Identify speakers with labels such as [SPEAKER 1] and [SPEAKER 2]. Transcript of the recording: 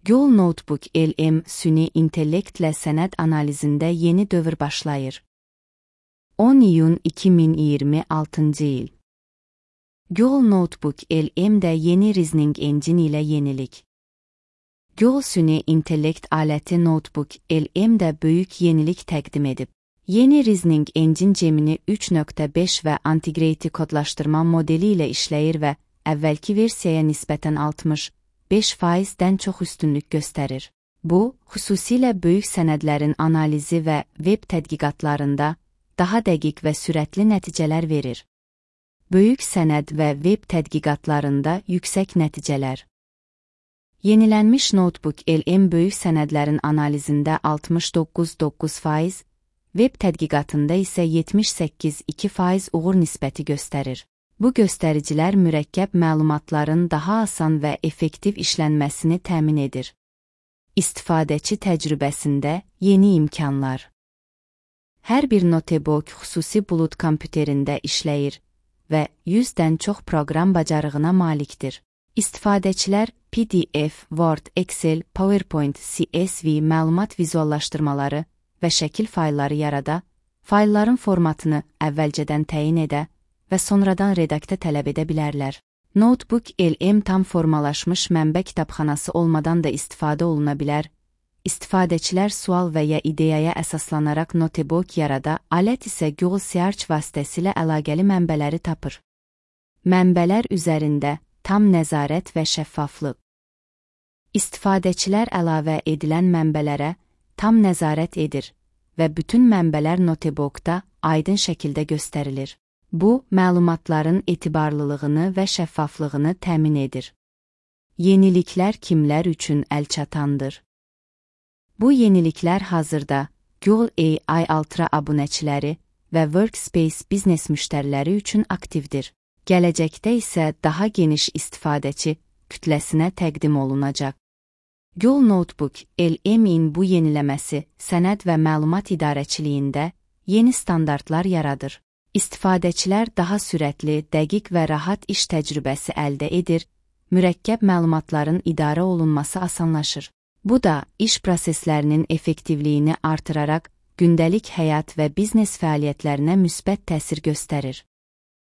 [SPEAKER 1] Google Notebook LM süni intellektlə sənəd analizində yeni dövr başlayır. 10 iyun 2026 il. Google Notebook LM-də yeni Reasoning Engine ilə yenilik. Google süni intellekt aləti Notebook LM-də böyük yenilik təqdim edib. Yeni Reasoning Engine Gemini 3.5 və Integrity kodlaşdırma modeli ilə işləyir və əvvəlki versiyaya nisbətən 65%-dən çox üstünlük göstərir. Bu, xüsusilə böyük sənədlərin analizi və web tədqiqatlarında daha dəqiq və sürətli nəticələr verir. Böyük sənəd və web tədqiqatlarında yüksək nəticələr. Yenilənmiş Notebook LM böyük sənədlərin analizində 69.9%, web tədqiqatında isə 78.2% uğur nisbəti göstərir. Bu göstəricilər mürəkkəb məlumatların daha asan və effektiv işlənməsini təmin edir. İstifadəçi təcrübəsində yeni imkanlar. Hər bir notebook xüsusi bulud kompüterində işləyir və 100-dən çox proqram bacarığına malikdir. İstifadəçilər PDF, Word, Excel, PowerPoint, CSV məlumat vizuallaşdırmaları və şəkil faylları yarada, faylların formatını əvvəlcədən təyin edə və sonradan redaktə tələb edə bilərlər. Notebook LM tam formalaşmış mənbə kitabxanası olmadan da istifadə oluna bilər. İstifadəçilər sual və ya ideyaya əsaslanaraq notebook yarada, alət isə Google Search vasitəsilə əlaqəli mənbələri tapır. Mənbələr üzərində tam nəzarət və şəffaflıq. İstifadəçilər əlavə edilən mənbələrə tam nəzarət edir və bütün mənbələr notebookda aydın şəkildə göstərilir. Bu, məlumatların etibarlılığını və şəffaflığını təmin edir. Yeniliklər kimlər üçün əlçatandır? Bu yeniliklər hazırda Google AI Ultra abunəçiləri və Workspace biznes müştəriləri üçün aktivdir. Gələcəkdə isə daha geniş istifadəçi kütləsinə təqdim olunacaq. Google Notebook LM-in bu yeniləməsi sənəd və məlumat idarəçiliyində yeni standartlar yaradır. İstifadəçilər daha sürətli, dəqiq və rahat iş təcrübəsi əldə edir, mürəkkəb məlumatların idarə olunması asanlaşır. Bu da iş proseslərinin effektivliyini artıraraq gündəlik həyat və biznes fəaliyyətlərinə müsbət təsir göstərir.